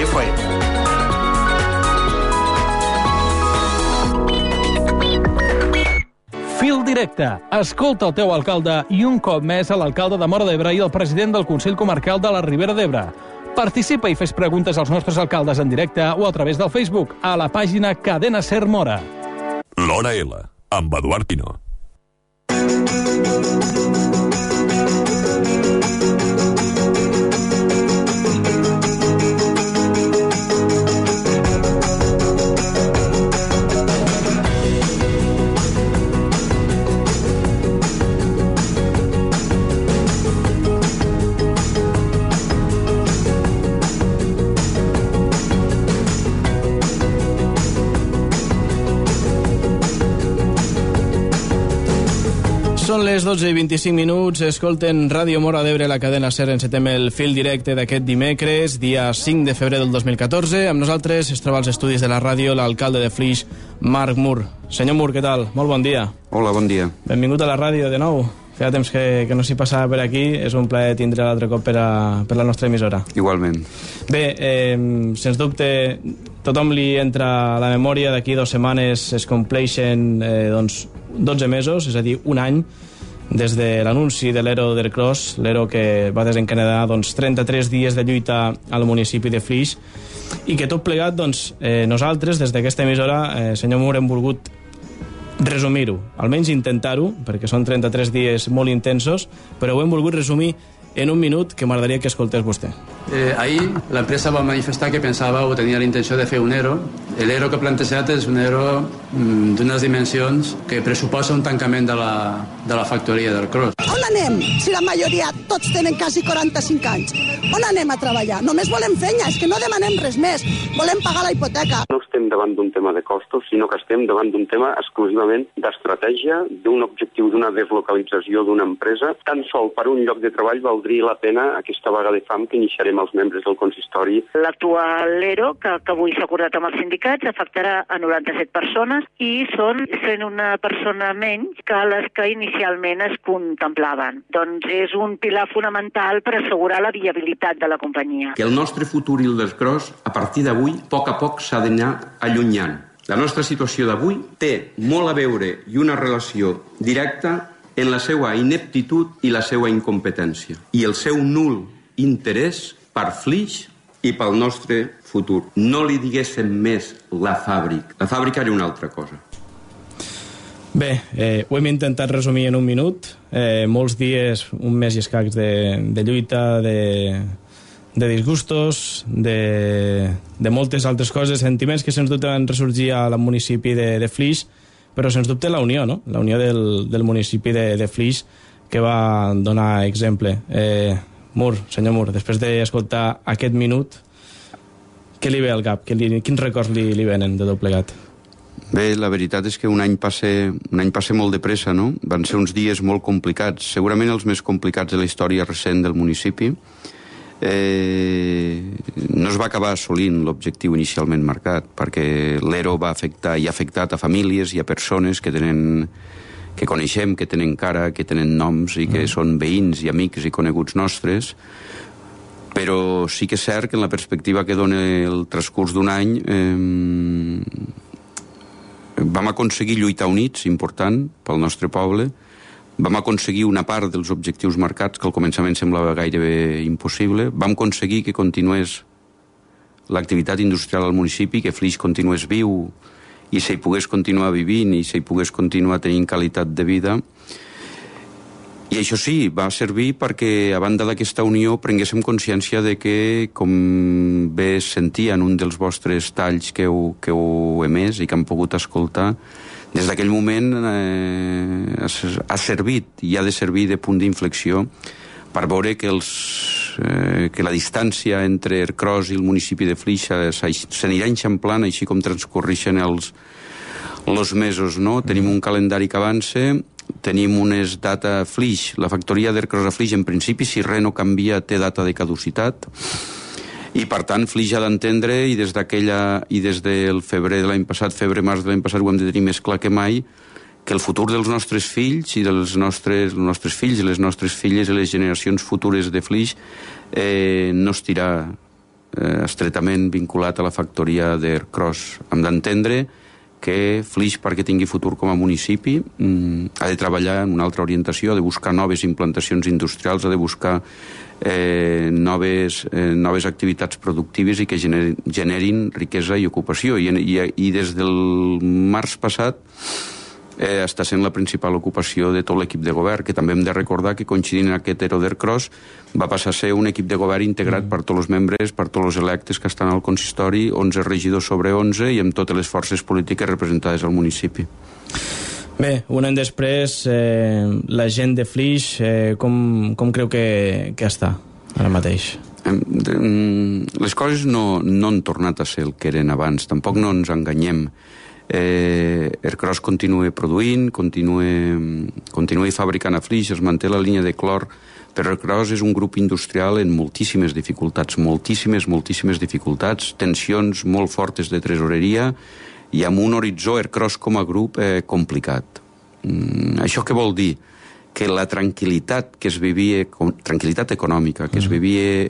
FM. Fil directe. Escolta el teu alcalde i un cop més a l'alcalde de Móra d'Ebre i el president del Consell Comarcal de la Ribera d'Ebre. Participa i fes preguntes als nostres alcaldes en directe o a través del Facebook a la pàgina Cadena Ser Móra. L'Hora L, amb Eduard Pino. Són les 12:25, escolten Ràdio Móra d'Ebre, la cadena SER. Encetem el fil directe d'aquest dimecres, dia 5 de febrer del 2014. Amb nosaltres es troba als estudis de la ràdio l'alcalde de Flix, Marc Mur. Senyor Mur, què tal? Molt bon dia. Hola, bon dia. Benvingut a la ràdio de nou. Feia temps que no s'hi passava per aquí. És un plaer tindre l'altre cop per la nostra emissora. Igualment. Bé, sens dubte, tothom li entra a la memòria. D'aquí 2 setmanes es compleixen 12 mesos, és a dir, un any, des de l'anunci de l'ERO d'Ercros, l'ERO que va desencadenar 33 dies de lluita al municipi de Flix, i que tot plegat, nosaltres, des d'aquesta emissora, senyor Mur, hem volgut resumir-ho, almenys intentar-ho, perquè són 33 dies molt intensos, però ho hem volgut resumir en un minut, que m'agradaria que escoltés vostè. Ahir l'empresa va manifestar que pensava o tenia la intenció de fer un ERO. L'ERO que ha plantejat és un ERO d'unes dimensions que pressuposa un tancament de la factoria del Cros. On anem si la majoria tots tenen quasi 45 anys? On anem a treballar? Només volem feina, és que no demanem res més. Volem pagar la hipoteca. No estem davant d'un tema de costos, sinó que estem davant d'un tema exclusivament d'estratègia, d'un objectiu d'una deslocalització d'una empresa. Tan sol per un lloc de treball valdria la pena aquesta vaga de fam que iniciarem els membres del consistori. L'actual ERO, que avui s'ha acordat amb els sindicats, afectarà a 97 persones i són 101 persona menys que les que inicialment es contemplaven. Doncs és un pilar fonamental per assegurar la viabilitat de la companyia. Que el nostre futur i el del Cros, a partir d'avui, a poc s'ha d'anar allunyant. La nostra situació d'avui té molt a veure i una relació directa en la seva ineptitud i la seva incompetència i el seu nul interès per Flix i pel nostre futur. No li diguéssim més la fàbrica. La fàbrica era una altra cosa. Bé, ho hem intentat resumir en un minut. Molts dies, un mes i escacs de lluita, de disgustos, de moltes altres coses, sentiments que sens dubte van ressorgir al municipi de Flix, però sens dubte la unió, no? La unió del municipi de Flix, que va donar exemple. Mur, senyor Mur, després d'escoltar aquest minut, què li ve al cap? Quins records li venen de tot plegat? Bé, la veritat és que un any passa molt de pressa, no? Van ser uns dies molt complicats, segurament els més complicats de la història recent del municipi. No es va acabar assolint l'objectiu inicialment marcat, perquè l'ERO va afectar i ha afectat a famílies i a persones que coneixem, que tenen cara, que tenen noms i que són veïns i amics i coneguts nostres, però sí que és cert que en la perspectiva que dona el transcurs d'un any vam aconseguir lluitar units, important pel nostre poble, vam aconseguir una part dels objectius marcats que al començament semblava gairebé impossible, vam aconseguir que continués l'activitat industrial al municipi, que Flix continués viu i s'hi pogués continuar vivint i s'hi pogués continuar tenint qualitat de vida. I això sí, va servir perquè a banda d'aquesta unió prenguéssim consciència de que, com bé es sentia en un dels vostres talls que heu emès i que han pogut escoltar, des d'aquell moment ha servit i ha de servir de punt d'inflexió per veure que la distància entre Ercros i el municipi de Flix s'anirà enxamplant així com transcorreixen els mesos, no? Tenim un calendari que avança, tenim unes data Flix, la factoria d'Ercros a Flix en principi, si res no canvia, té data de caducitat, i per tant Flix ha d'entendre, i des del febrer de l'any passat, febrer-març de l'any passat, ho hem de tenir més clar que mai, que el futur dels nostres fills i dels nostres fills i les nostres filles i les generacions futures de Flix no estirà estretament vinculat a la factoria d'Ercros. Hem d'entendre que Flix, perquè tingui futur com a municipi, ha de treballar en una altra orientació, ha de buscar noves implantacions industrials, ha de buscar noves activitats productives i que generin riquesa i ocupació. I des del març passat està sent la principal ocupació de tot l'equip de govern, que també hem de recordar que coincidint en aquest ERO d'Ercros va passar a ser un equip de govern integrat per tots els membres, per tots els electes que estan al consistori, 11 regidors sobre 11 i amb totes les forces polítiques representades al municipi. Bé, un any després, la gent de Flix, com creu que està ara mateix? Les coses no han tornat a ser el que eren abans, tampoc no ens enganyem. Ercros continua produint, continua fabricant a Flix, es manté la línia de clor, però Ercros és un grup industrial en moltíssimes dificultats, moltíssimes dificultats, tensions molt fortes de tresoreria i amb un horitzó Ercros com a grup complicat. Això què vol dir? Que la tranquil·litat que es vivia, tranquil·litat econòmica que es vivia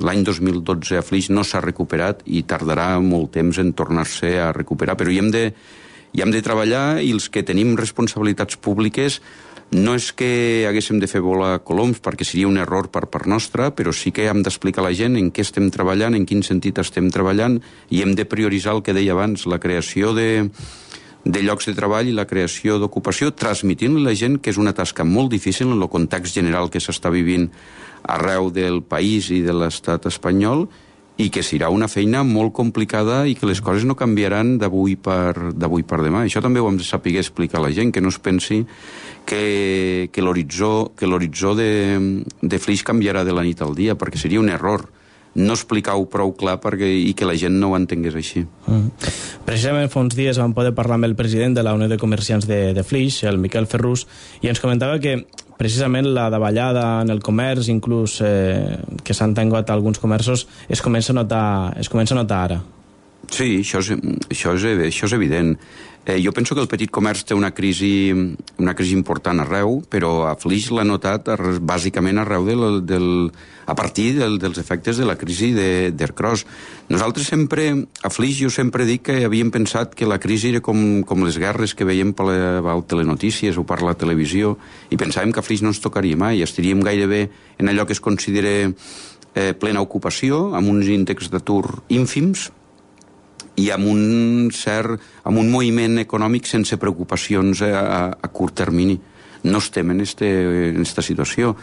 l'any 2012 a Flix no s'ha recuperat i tardarà molt temps en tornar-se a recuperar, però hi hem de treballar, i els que tenim responsabilitats públiques no és que haguéssim de fer volar coloms, perquè seria un error per part nostra, però sí que hem d'explicar a la gent en què estem treballant, en quin sentit estem treballant, i hem de prioritzar el que deia abans, la creació de llocs de treball i la creació d'ocupació, transmitint a la gent que és una tasca molt difícil en el context general que s'està vivint arreu del país i de l'estat espanyol, i que serà una feina molt complicada i que les coses no canviaran d'avui per demà. Això també ho hem de saber explicar a la gent, que no es pensi que l'horitzó de Flix canviarà de la nit al dia, perquè seria un error no explicar-ho prou clar i que la gent no ho entengués així. Precisament fa uns dies vam poder parlar amb el president de la Unió de Comerciants de Flix, el Miquel Ferrús, i ens comentava que precisament la davallada en el comerç, inclús que s'han tancat alguns comerços, es comença a notar ara. Sí, això és evident. Jo penso que el petit comerç té una crisi important arreu, però a Flix l'ha notat bàsicament arreu a partir dels efectes de la crisi d'Ercros. Nosaltres sempre, a Flix, jo sempre dic que havíem pensat que la crisi era com les guerres que veiem per les telenotícies o per la televisió, i pensàvem que a Flix no ens tocaria mai, estaríem gairebé en allò que es considera plena ocupació, amb uns índexs d'atur ínfims, i amb un moviment econòmic sense preocupacions a curt termini. No estem en aquesta situació.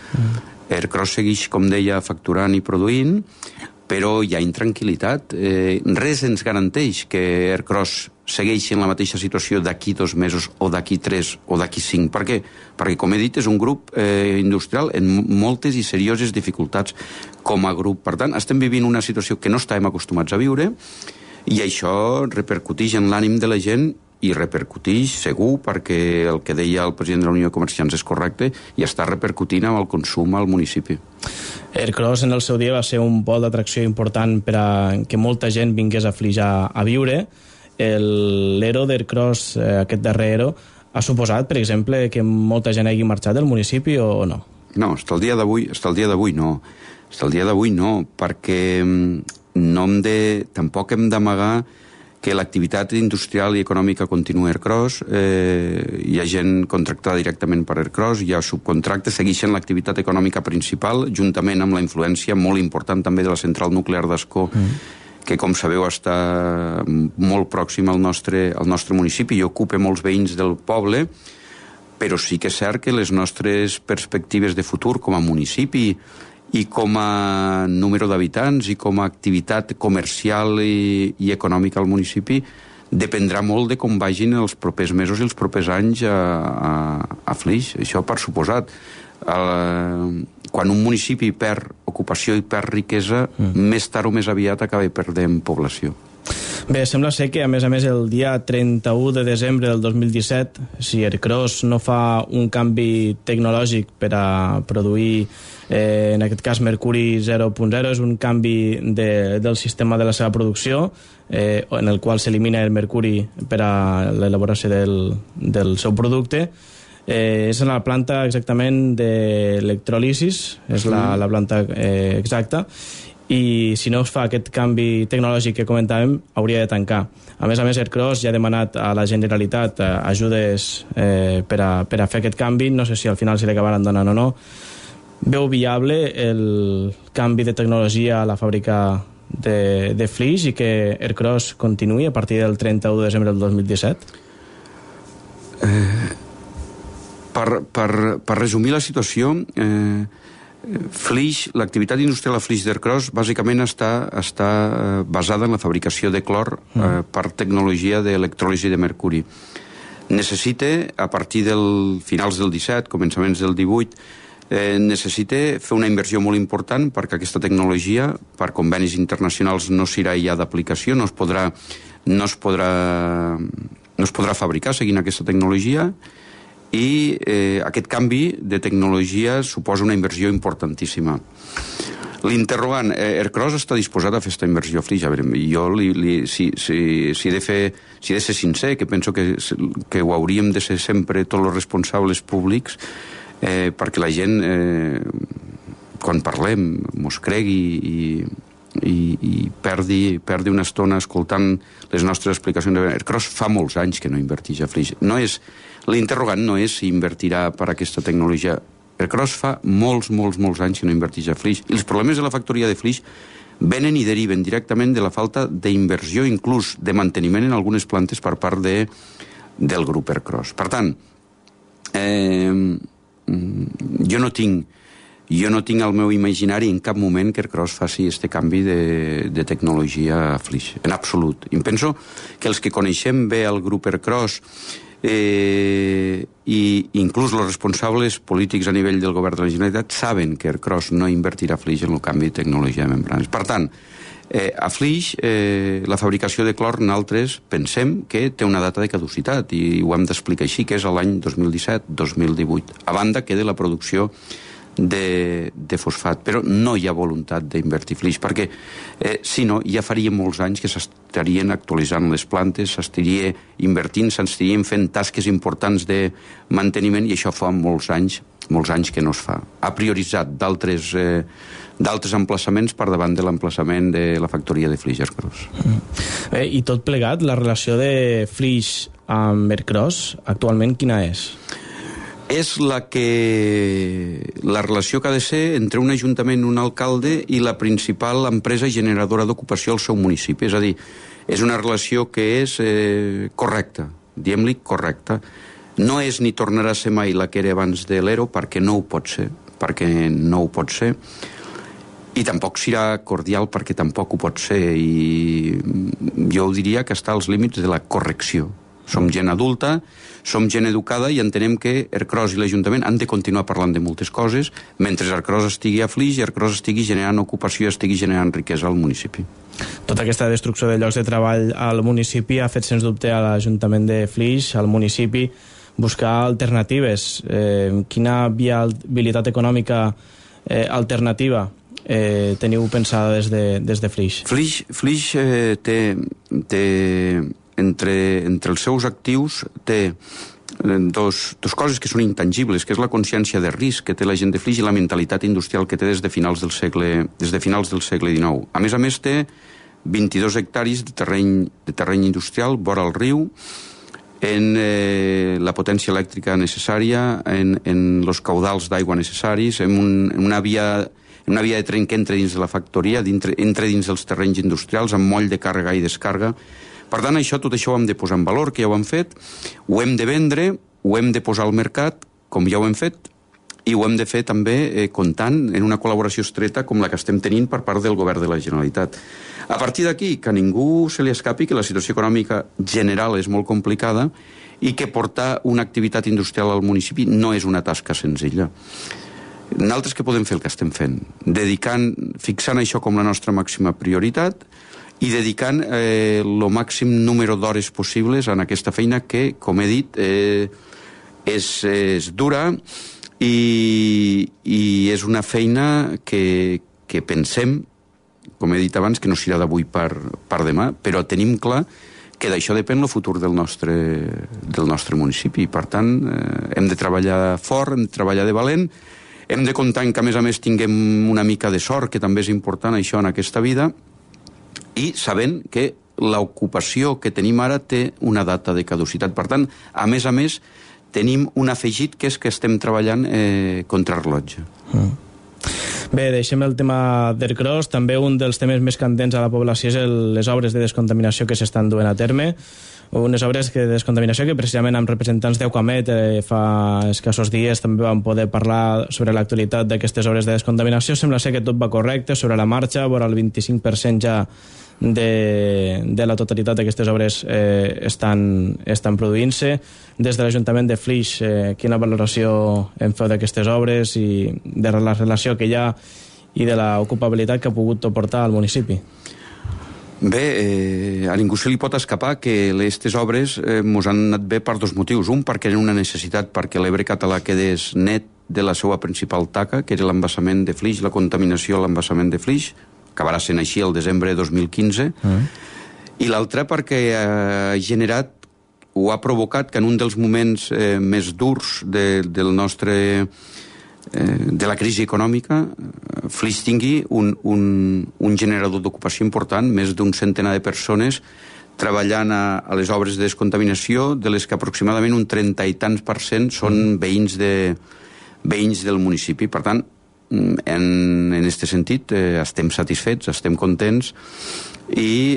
Ercros segueix, com deia, facturant i produint, però hi ha intranquil·litat. Res ens garanteix que Ercros segueixi en la mateixa situació d'aquí 2 mesos o d'aquí 3 o d'aquí 5. Per què? Perquè, com he dit, és un grup industrial en moltes i serioses dificultats com a grup. Per tant, estem vivint una situació que no estàvem acostumats a viure, i això repercuteix en l'ànim de la gent, i repercuteix segur, perquè el que deia el president de la Unió de Comerciants és correcte, i està repercutint amb el consum al municipi. Ercros en el seu dia va ser un pol d'atracció important per a que molta gent vingués a Flix a viure. L'ERO d'Ercros, aquest darrer ERO, ha suposat, per exemple, que molta gent hagi marxat del municipi o no? No, fins al dia d'avui no, perquè tampoc hem d'amagar que l'activitat industrial i econòmica continua a Ercros, hi ha gent contractada directament per Ercros, hi ha subcontractes, segueixen l'activitat econòmica principal, juntament amb la influència molt important també de la central nuclear d'Ascó, que, com sabeu, està molt pròxim al nostre municipi i ocupa molts veïns del poble, però sí que és cert que les nostres perspectives de futur com a municipi i com a número d'habitants i com a activitat comercial i econòmica al municipi dependrà molt de com vagin els propers mesos i els propers anys a Flix. Això per suposat. Quan un municipi perd ocupació i perd riquesa, més tard o més aviat acaba perdent població. Bé, sembla ser que, a més, el dia 31 de desembre del 2017, si Ercros no fa un canvi tecnològic per a produir, en aquest cas, mercuri 0.0, és un canvi del sistema de la seva producció, en el qual s'elimina el mercuri per a l'elaboració del seu producte. És en la planta exactament d'electròlisis, és la planta exacta, i si no es fa aquest canvi tecnològic que comentàvem, hauria de tancar. A més, Ercros ja ha demanat a la Generalitat ajudes per a fer aquest canvi. No sé si al final se li acabaran donant o no. Veu viable el canvi de tecnologia a la fàbrica de Flix i que Ercros continuï a partir del 31 de desembre del 2017? Per resumir la situació, Flix, l'activitat industrial a Flix d'Ercros bàsicament està basada en la fabricació de clor per tecnologia d'electròlisi de mercuri. Necessita, a partir del finals del 17, començaments del 18, necessita fer una inversió molt important perquè aquesta tecnologia, per convenis internacionals, no serà ja d'aplicació, no es podrà fabricar seguint aquesta tecnologia, i aquest canvi de tecnologia suposa una inversió importantíssima. L'interrogant, Ercros està disposat a fer aquesta inversió a Flix. Jo, si he de ser sincer, que penso que ho hauríem de ser sempre tots els responsables públics, perquè la gent, quan parlem, mos cregui i perdi una estona escoltant les nostres explicacions. Ercros fa molts anys que no inverteix a Flix. L'interrogant no és si invertirà per aquesta tecnologia. Ercros fa molts anys que no inverteix a Flix. I els problemes de la factoria de Flix venen i deriven directament de la falta d'inversió, inclús de manteniment en algunes plantes per part del grup Ercros. Per tant, jo no tinc al meu imaginari en cap moment que Ercros faci aquest canvi de tecnologia a Flix, en absolut. I penso que els que coneixem bé el grup Ercros i inclús els responsables polítics a nivell del govern de la Generalitat saben que Ercros no invertirà a Flix en el canvi de tecnologia de membranes. Per tant, a Flix la fabricació de clor nosaltres pensem que té una data de caducitat i ho hem d'explicar així, que és l'any 2017-2018, a banda que de la producció de fosfat, però no hi ha voluntat d'invertir Flix, perquè si no, ja faria molts anys que s'estarien actualitzant les plantes, s'estaria invertint, s'estarien fent tasques importants de manteniment, i això fa molts anys que no es fa. Ha prioritzat d'altres emplaçaments per davant de l'emplaçament de la factoria de Flix Ercros. I tot plegat, la relació de Flix amb Ercros actualment quina és? És la relació que ha de ser entre un ajuntament, un alcalde i la principal empresa generadora d'ocupació al seu municipi. És a dir, és una relació que és correcta, diguem-li correcta. No és ni tornarà a ser mai la que era abans de l'ERO, perquè no ho pot ser, i tampoc serà cordial perquè tampoc ho pot ser, i jo diria que està als límits de la correcció. Som gent adulta, som gent educada i entenem que Ercros i l'Ajuntament han de continuar parlant de moltes coses mentre Ercros estigui a Flix i Ercros estigui generant ocupació i estigui generant riquesa al municipi. Tota aquesta destrucció de llocs de treball al municipi ha fet sens dubte a l'Ajuntament de Flix, al municipi, buscar alternatives. Quina viabilitat econòmica alternativa teniu pensada des de Flix? Flix té entre els seus actius té dos coses que són intangibles, que és la consciència de risc que té la gent de Flix i la mentalitat industrial que té des de finals del segle XIX. A més, té 22 hectàrees de terreny industrial vora el riu, en la potència elèctrica necessària, en els caudals d'aigua necessaris, en una via de tren que entra dins de la factoria, entra dins dels terrenys industrials, amb moll de càrrega i descàrrega. Per tant, tot això ho hem de posar en valor, que ja ho hem fet, ho hem de vendre, ho hem de posar al mercat, com ja ho hem fet, i ho hem de fer també comptant en una col·laboració estreta com la que estem tenint per part del govern de la Generalitat. A partir d'aquí, que a ningú se li escapi que la situació econòmica general és molt complicada i que portar una activitat industrial al municipi no és una tasca senzilla. Nosaltres què podem fer el que estem fent? Fixant això com la nostra màxima prioritat i dedicant el màxim número d'hores possibles en aquesta feina que, com he dit, és dura i és una feina que pensem, com he dit abans, que no serà d'avui per demà, però tenim clar que d'això depèn el futur del nostre municipi. Per tant, hem de treballar fort, hem de treballar de valent, Hem de comptar que, a més, tinguem una mica de sort, que també és important això en aquesta vida, i sabent que l'ocupació que tenim ara té una data de caducitat. Per tant, a més, tenim un afegit, que és que estem treballant contrarrellotge. Bé, deixem el tema d'Ercros. També un dels temes més candents a la població és les obres de descontaminació que s'estan duent a terme. Unes obres de descontaminació que precisament amb representants d'Eucamet fa escassos dies també vam poder parlar sobre l'actualitat d'aquestes obres de descontaminació. Sembla ser que tot va correcte, sobre la marxa, vora el 25% ja de la totalitat d'aquestes obres estan produint-se. Des de l'Ajuntament de Flix, quina valoració en feu d'aquestes obres i de la relació que hi ha i de l'ocupabilitat que ha pogut portar al municipi? Bé, a ningú se li pot escapar que aquestes obres mos han anat bé per dos motius. Un, perquè eren una necessitat perquè l'Ebre català quedés net de la seva principal taca, que era l'embassament de Flix, la contaminació a l'embassament de Flix, acabarà sent així el desembre de 2015, i l'altra perquè ha generat o ha provocat que en un dels moments més durs de la crisi econòmica, Flix tingui un generador d'ocupació important, més d'un centenar de persones treballant a les obres de descontaminació, de les que aproximadament un 30 i tants % són veïns del municipi. Per tant, en aquest sentit estem satisfets, estem contents i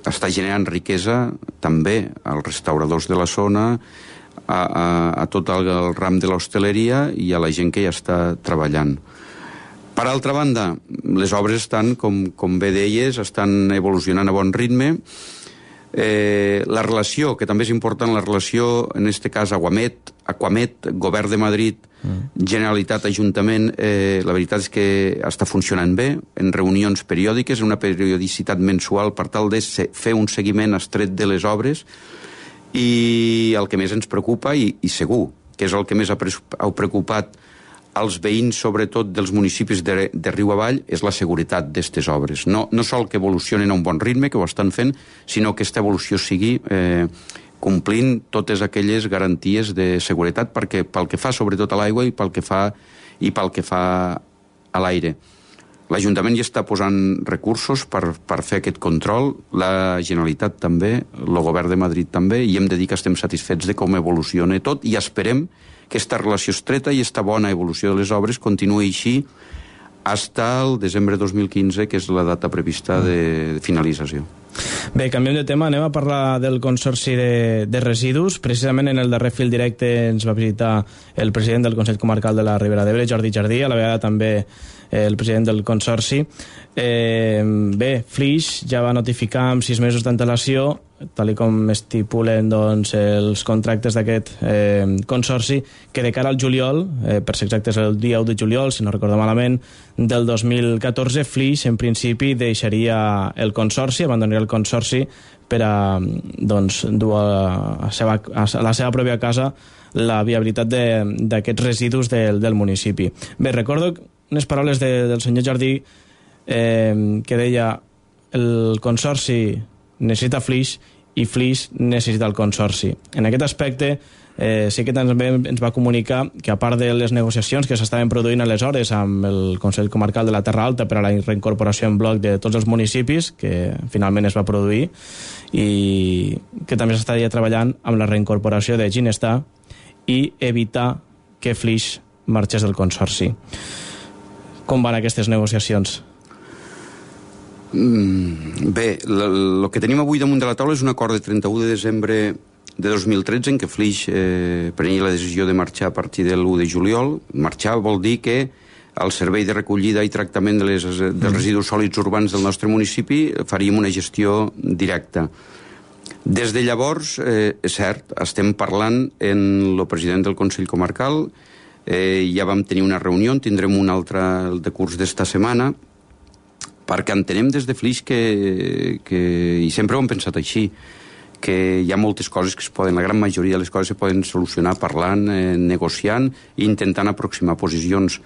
està generant riquesa també als restauradors de la zona, a tot el ram de l'hostaleria i a la gent que ja està treballant. Per altra banda, les obres estan, com bé deies, estan evolucionant a bon ritme. La relació, que també és important, la relació, en aquest cas, Aquamet, Govern de Madrid, Generalitat, Ajuntament, la veritat és que està funcionant bé, en reunions periòdiques, en una periodicitat mensual, per tal de fer un seguiment estret de les obres, i el que més ens preocupa, i segur que és el que més ha preocupat als veïns, sobretot dels municipis de riu avall, és la seguretat d'aquestes obres. No sol que evolucionen a un bon ritme, que ho estan fent, sinó que aquesta evolució sigui complint totes aquelles garanties de seguretat, perquè pel que fa sobretot a l'aigua i pel que fa a l'aire. L'Ajuntament ja està posant recursos per fer aquest control, la Generalitat també, el Govern de Madrid també, i hem de dir que estem satisfets de com evoluciona tot i esperem que aquesta relació estreta i aquesta bona evolució de les obres continuï així fins al desembre de 2015, que és la data prevista de finalització. Bé, canviem de tema, anem a parlar del Consorci de Residus. Precisament en el darrer fil directe ens va visitar el president del Consell Comarcal de la Ribera d'Ebre, Jordi Jardí, a la vegada també el president del Consorci. Bé, Flix ja va notificar amb 6 mesos d'antelació, tal com estipulen els contractes d'aquest Consorci, que de cara al juliol, per ser exactes el dia 1 de juliol, si no recordo malament, del 2014, Flix en principi deixaria el Consorci, abandonaria el Consorci per a dur a la seva pròpia casa la viabilitat d'aquests residus del municipi. Bé, recordo unes paraules del senyor Jardí que deia el Consorci necessita Flix i Flix necessita el Consorci. En aquest aspecte sí que també ens va comunicar que a part de les negociacions que s'estaven produint aleshores amb el Consell Comarcal de la Terra Alta per a la reincorporació en bloc de tots els municipis, que finalment es va produir, i que també s'estaria treballant amb la reincorporació de Ginestar i evitar que Flix marxés del Consorci. Com van aquestes negociacions? Bé, el que tenim avui damunt de la taula és un acord de 31 de desembre de 2013 en què Flix prenia la decisió de marxar a partir de l'1 de juliol. Marxar vol dir que el servei de recollida i tractament dels residus sòlids urbans del nostre municipi faríem una gestió directa. Des de llavors, és cert, estem parlant amb el president del Consell Comarcal, ja vam tenir una reunió, en tindrem una altra el decurs d'esta setmana, perquè entenem des de Flix i sempre ho hem pensat així, que hi ha moltes coses que es poden, la gran majoria de les coses se poden solucionar parlant, negociant i intentant aproximar posicions.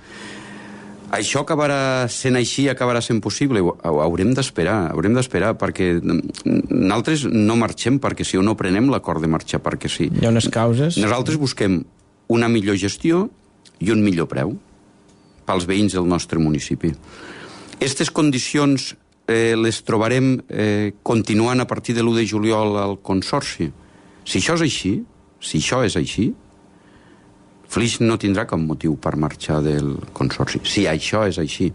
Això acabarà sent així, acabarà sent possible? Haurem d'esperar, perquè nosaltres no marxem perquè sí o no prenem l'acord de marxar perquè sí. Hi ha unes causes? Nosaltres busquem una millor gestió i un millor preu pels veïns del nostre municipi. Aquestes condicions les trobarem continuant a partir de l'1 de juliol al Consorci. Si això és així, Flix no tindrà cap motiu per marxar del Consorci. Si això és així.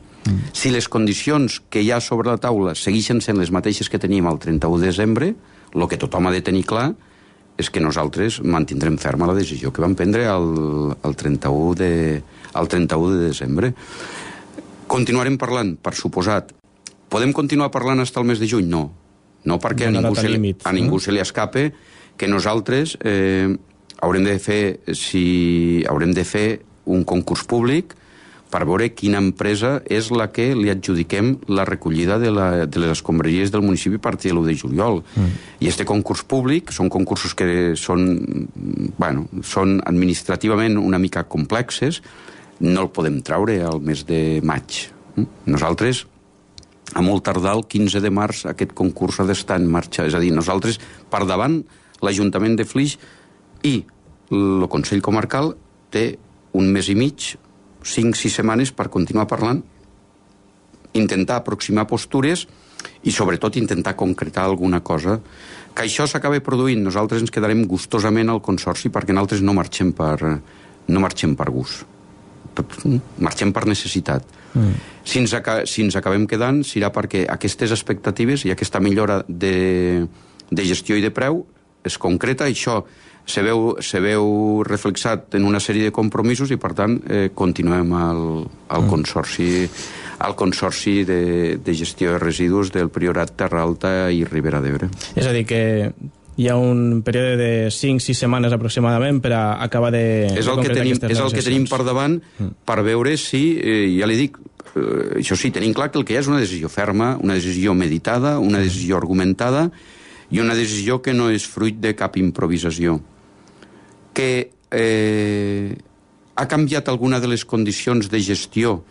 Si les condicions que hi ha sobre la taula segueixen sent les mateixes que teníem el 31 de desembre, el que tothom ha de tenir clar és que nosaltres mantindrem ferma la decisió que vam prendre el 31 de desembre. Continuarem parlant, per suposat. Podem continuar parlant fins al mes de juny? No. No, perquè a ningú se li escape que nosaltres haurem de fer un concurs públic per veure quina empresa és la que li adjudiquem la recollida de les escombraries del municipi a partir de l'1 de juliol. I este concurs públic són concursos que són administrativament una mica complexes, no el podem traure al mes de maig. Nosaltres, a molt tardar el 15 de març, aquest concurs ha d'estar en marxa. És a dir, nosaltres, per davant, l'Ajuntament de Flix i el Consell Comarcal té un mes i mig, 5-6 setmanes per continuar parlant, intentar aproximar postures i sobretot intentar concretar alguna cosa. Que això s'acabi produint, nosaltres ens quedarem gustosament al Consorci perquè nosaltres no marxem per gust. Marxem per necessitat. Si ens acabem quedant serà perquè aquestes expectatives i aquesta millora de gestió i de preu es concreta, això se veu reflexat en una sèrie de compromisos i per tant continuem al Consorci de gestió de residus del Priorat, Terra Alta i Ribera d'Ebre. És a dir, que hi ha un període de 5-6 setmanes aproximadament per a acabar de concretar aquestes negociacions. És el que tenim per davant per veure si, ja li dic, això sí, tenim clar que el que hi ha és una decisió ferma, una decisió meditada, una decisió argumentada i una decisió que no és fruit de cap improvisació. Que ha canviat alguna de les condicions de gestió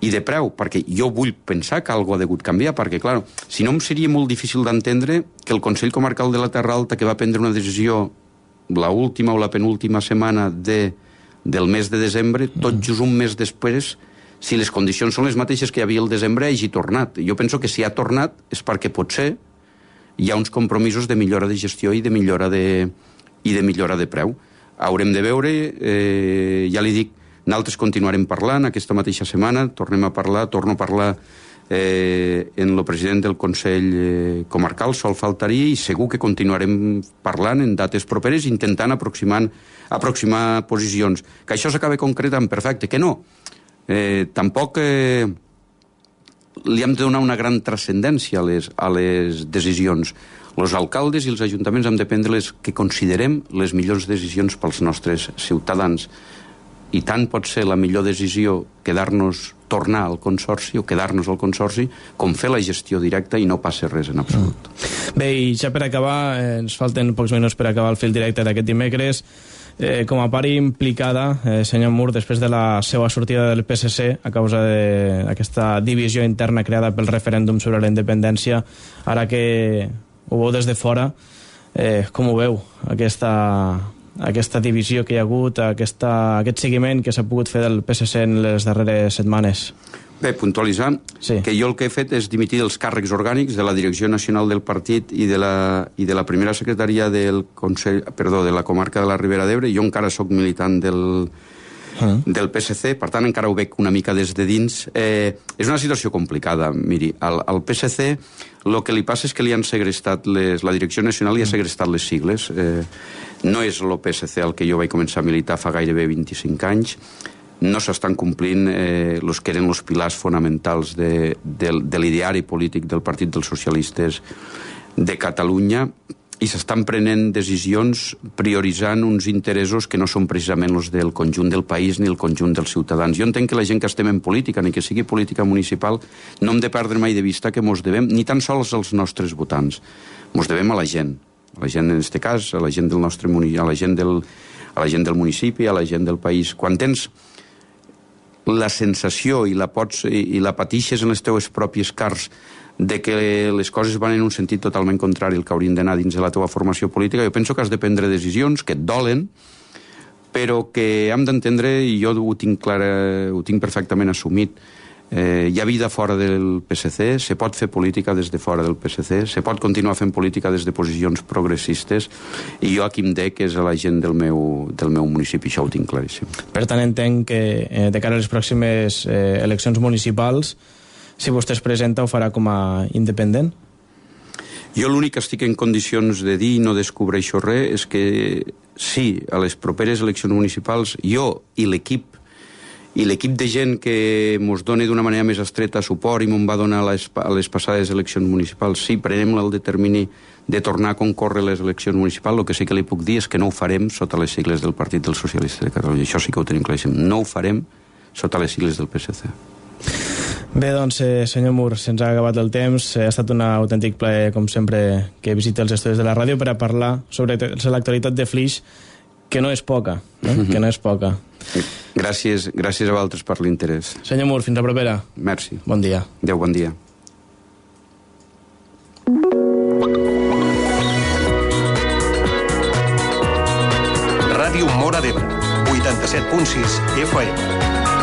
i de preu, perquè jo vull pensar que alguna ha degut canviar, perquè, clar, si no em seria molt difícil d'entendre que el Consell Comarcal de la Terra Alta, que va prendre una decisió la última o la penúltima setmana del mes de desembre, tot just un mes després, si les condicions són les mateixes que hi havia el desembre, hagi tornat. Jo penso que si ha tornat és perquè potser hi ha uns compromisos de millora de gestió i de millora de preu. Haurem de veure, ja li dic, nosaltres continuarem parlant aquesta mateixa setmana, torno a parlar en el president del Consell Comarcal, sol faltaria, i segur que continuarem parlant en dates properes, intentant aproximar posicions. Que això s'acabi concretant, perfecte, que no. Tampoc li hem de donar una gran transcendència a les decisions. Els alcaldes i els ajuntaments hem de prendre les que considerem les millors decisions pels nostres ciutadans. I tant pot ser la millor decisió tornar al Consorci o quedar-nos al Consorci com fer la gestió directa i no passa res en absolut. Bé, i ja per acabar, ens falten pocs minuts per acabar el fil directe d'aquest dimecres. Com a part implicada, senyor Mur, després de la seva sortida del PSC a causa d'aquesta divisió interna creada pel referèndum sobre la independència, ara que ho veu des de fora, com ho veu, aquesta divisió que hi ha hagut, aquest seguiment que s'ha pogut fer del PSC en les darreres setmanes? Bé, puntualitzar que jo el que he fet és dimitir dels càrrecs orgànics de la direcció nacional del partit i de la primera secretaria de la comarca de la Ribera d'Ebre. Jo encara sóc militant del PSC, per tant encara ho veig una mica des de dins. És una situació complicada. Miri, al PSC el que li passa és que li han segrestat la direcció nacional li ha segrestat les sigles. No és el PSC al que jo vaig començar a militar fa gairebé 25 anys. No s'estan complint els que eren els pilars fonamentals de l'ideari polític del Partit dels Socialistes de Catalunya i s'estan prenent decisions prioritzant uns interessos que no són precisament els del conjunt del país ni el conjunt dels ciutadans. Jo entenc que la gent que estem en política, ni que sigui política municipal, no hem de perdre mai de vista que mos devem ni tan sols als nostres votants. Mos devem a la gent en aquest cas, a la gent del nostre municipi, a la gent del municipi, a la gent del país. Quan tens la sensació i la patixes en les teues pròpies cars de que les coses van en un sentit totalment contrari al que haurien d'anar dins de la teva formació política, jo penso que has de prendre decisions que et dolen, però que hem d'entendre, i jo ho tinc perfectament assumit, hi ha vida fora del PSC, se pot fer política des de fora del PSC, se pot continuar fent política des de posicions progressistes, i jo aquí em dec és a la gent del meu municipi, això ho tinc claríssim. Per tant, entenc que de cara a les pròximes eleccions municipals, si vostè es presenta, ho farà com a independent? Jo l'únic que estic en condicions de dir, no descobreixo res, és que sí, a les properes eleccions municipals, jo i l'equip de gent que mos dona d'una manera més estreta suport i m'on va donar a les passades eleccions municipals, sí, prenem el determini de tornar a concórrer les eleccions municipals. El que sí que li puc dir és que no ho farem sota les sigles del Partit dels Socialistes de Catalunya. Això sí que ho tenim claríssim. No ho farem sota les sigles del PSC. Bé, doncs, senyor Mur, se'ns ha acabat el temps. Ha estat un autèntic plaer, com sempre, que visiti els estudis de la ràdio per a parlar sobre l'actualitat de Flix, que no és poca, que no és poca. Gràcies a vosaltres per l'interès. Senyor Mur, fins la propera. Merci. Bon dia. Adéu, bon dia. Ràdio Móra d'Ebre, 87.6 FM.